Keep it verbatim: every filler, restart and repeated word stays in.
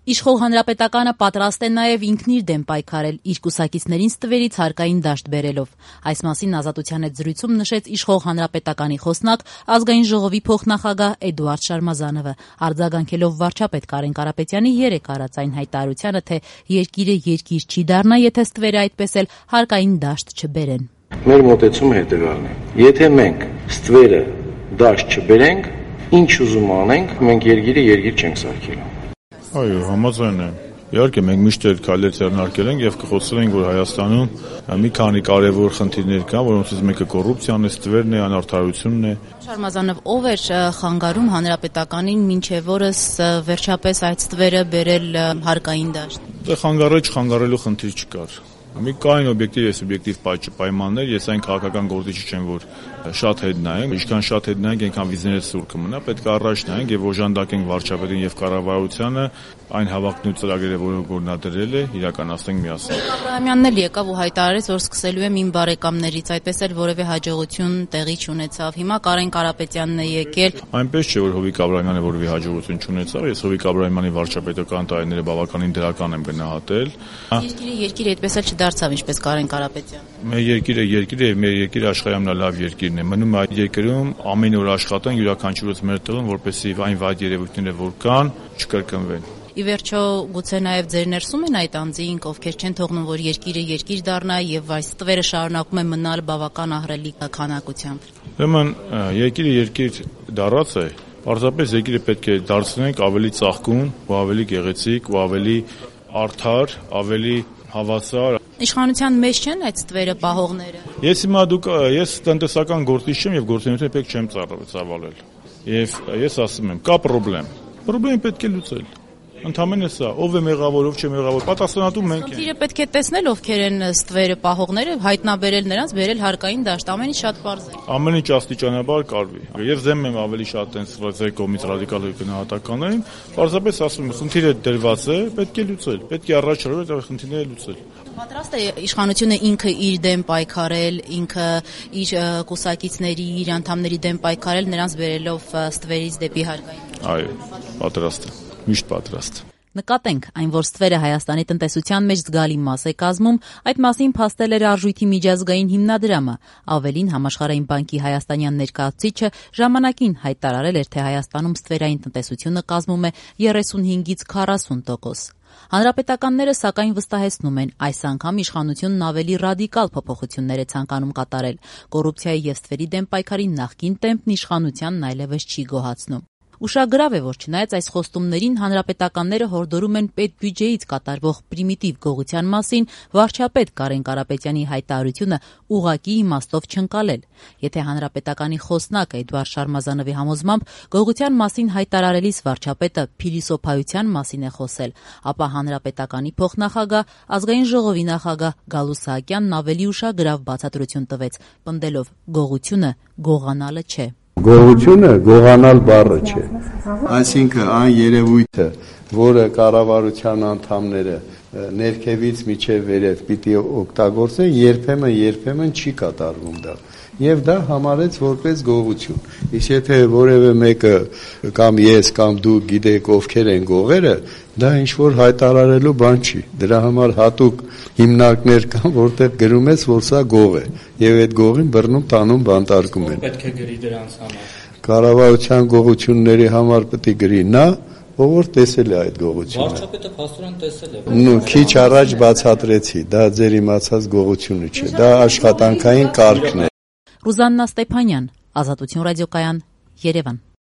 Իշխող հանրապետականը պատրաստ է նաև ինքն իր դեմ պայքարել, իր կուսակիցներին ստվերից հարկային դաշտ բերելով։ Այս մասին Ազատության հետ զրույցում նշեց իշխող հանրապետականի խոսնակ, ազգային ժողովի փոխնախագահ Էդուարդ Շարմազանովը, արձագանքելով վարչապետ Կարեն Կարապետյանի երեկ արած այն հայտարարությանը, թե երկիրը երկիր չի դառնա, եթե ստվերը այդպես էլ հարկային դաշտ չբերեն։ Մեր մոտեցումը հետևյալն է. եթե մենք ստվերը դաշտ չբերենք, ինչ ուզում անենք, մենք երկիրը երկիր չենք սարքելու։ Այո, համաձայն եմ։ Իհարկե մենք միշտ էլ քայլեր ձեռնարկել ենք եւ կխոսել ենք, որ Հայաստանում մի քանի կարեւոր խնդիրներ կան, որոնցից մեկը կոռուպցիան է, ստվերն է, անարդարությունն է։ Շարմազանով, ով էր խանգարում հանրապետականին մինչև օրս վերջապես այդ ստվերը բերել հարկային դաշտ։ Դե խանգարել չխանգարելու խնդիր չկար։ Մի կային օբյեկտիվ եւ սուբյեկտիվ պայմաններ, ես այն քաղաքական գործիչ չեմ, որ շատ հետ նայենք, ինչքան շատ հետ նայենք, այնքան վիզները սուր կմնա, պետք է առաջ նայենք եւ օժանդակենք վարչապետին եւ կառավարությանը այն հավակնու ծրագրերը, որոնք որ նա դրել է, իրականացնենք միասին։ Աբրահամյանն էլ եկավ ու հայտարարեց, որ սկսելու եմ իմ բարեկամներից, այդպես էլ որևէ հաջողություն տեղի չունեցավ։ Հիմա Կարեն Կարապետյանն է եկել։ Այնպես չէ, որ Հովիկ Աբրահամյանը որևէ հաջողություն չունեցավ, ես Հովիկ Աբրահամյանի վարչապետական տարիները բավականին դրական եմ գնահատել։ Երկիրը երկիր այդպես էլ չդարձավ, ինչպես Կարեն Կարապետյանը։ Մեր երկիրը երկիր է եւ մեր երկիրը աշխարհի ամենալավ երկիրն է։ Մնում է այդ երկրում ամեն օր աշխատեն յուրաքանչյուրս մեր տղան, որպեսզի այն վատ երևույթները, որ կան, չկրկնվեն։ Ի վերջո, գուցե նաև ձեր ներսում են այդ անձինք, ովքեր չեն թողնում, որ երկիրը երկիր դառնա եւ այս ստվերը շարունակում է մնալ բավական ահռելի քանակությամբ։ Ուրեմն երկիրը երկիր դառած է, պարզապես երկիրը պետք է դարձնենք ավելի ծաղկուն, ու ավելի գեղեցիկ, ու ավելի արդար, ավելի հավասար։ Իշխանության մեջ չեն այդ ստվերը պահողները։ Ես հիմա դուք ես տնտեսական գործիչ չեմ եւ գործունեությունը պետք չեմ ծավալել։ Եվ ես ասում եմ, կա խնդրեմ։ Խնդրեմ պետք է լուծել։ Ընդհանրապես սա, ով է մեղավոր, ով չէ մեղավոր, պատասխանատու մենք ենք։ Խնդիրը պետք է տեսնել ովքեր են ստվերը պահողները, հայտնաբերել նրանց, բերել հարկային դաշտ, ամեն ինչ շատ պարզ է։ Ամեն ինչ աստիճանաբար կարվի։ Եվ ձեմ եմ ավելի շատ այն սրացել կողմից ռադիկալ գնահատականներին, պարզապես ասում եմ, խնդիրը դրված է, պետք է լուծել, պետք է առաջ հրվել այդ խնդիրները լուծել։ Պատրաստ է իշխանությունը ինքը իր դեմ պայքարել, ինքը իր կուսակիցների, իր անդամների դեմ պայքարել, նրանց բերելով ստվերից դեպի հարկային։ Այո, պատրաստ է, միշտ պատրաստ։ Նկատենք, այն որ ստվերը Հայաստանի տնտեսության մեջ զգալի մաս է կազմում, այդ մասին փաստել էր Արժույթի միջազգային հիմնադրամը, ավելին Համաշխարհային բանկի հայաստանյան ներկայացուցիչը ժամանակին հայտարարել էր, թե Հայաստանում ստվերային տնտեսությունը կազմում է երեսունհինգից քառասուն տոկոս։ Հանրապետականները սակայն վստահեցնում են, այս անգամ իշխանությունն ավելի ռադիկալ փոփոխություններ է ցանկանում կատարել։ Կոռուպցիայի եւ ստվերի դեմ պայքարի նախկին տեմպն իշխանությանն այլևս չի գոհացնում։ Ուշագրավ է, որ չնայած այս խոստումներին հանրապետականները հորդորում են պետբյուջեից կատարվող պրիմիտիվ գողության մասին, վարչապետ Կարեն Կարապետյանի հայտարարությունը ուղղակի իմաստով չընկալել։ Եթե հանրապետականի խոսնակ Էդուարդ Շարմազանովի համոզմամբ գողության մասին հայտարարելիս վարչապետը փիլիսոփայության մասին է խոսել, ապա հանրապետականի փոխնախագահ, ազգային ժողովի նախագահ Գալուստ Սահակյանն ավելի ուշագրավ բացատրություն տվեց, պնդելով գողությունը գողանալը չէ։ Գողությունը գողանալ բառը չէ, այսինքն այն երևույթը, որը կառավարության անդամները ներքևից միջև վերև պիտի օգտագործեն, երբեմն երբեմն չի կատարվում դա։ Եվ դա համարեց որպես գողություն։ Իսկ եթե որևէ մեկը կամ ես կամ դու գիտեք ովքեր են գողերը, դա ինչ որ հայտարարելու բան չի։ Դրա համար հատուկ հիմնարկներ կան, որտեղ գրում ես, որ սա գող է, եւ այդ գողին բռնում տանում բանտարկում են։ Պետք է գրի դրանց համար։ Կառավարության գողությունների համար պետք է գրի նա, ով տեսել է այդ գողությունը։ Վարչապետը փաստորեն տեսել է։ Նու քիչ առաջ բացատրեցի, դա ձեր իմացած գողությունը չէ, դա աշխատանքային կարգն է։ Ռուզաննա Ստեփանյան, Ազատություն ռադիոկայան, Երևան։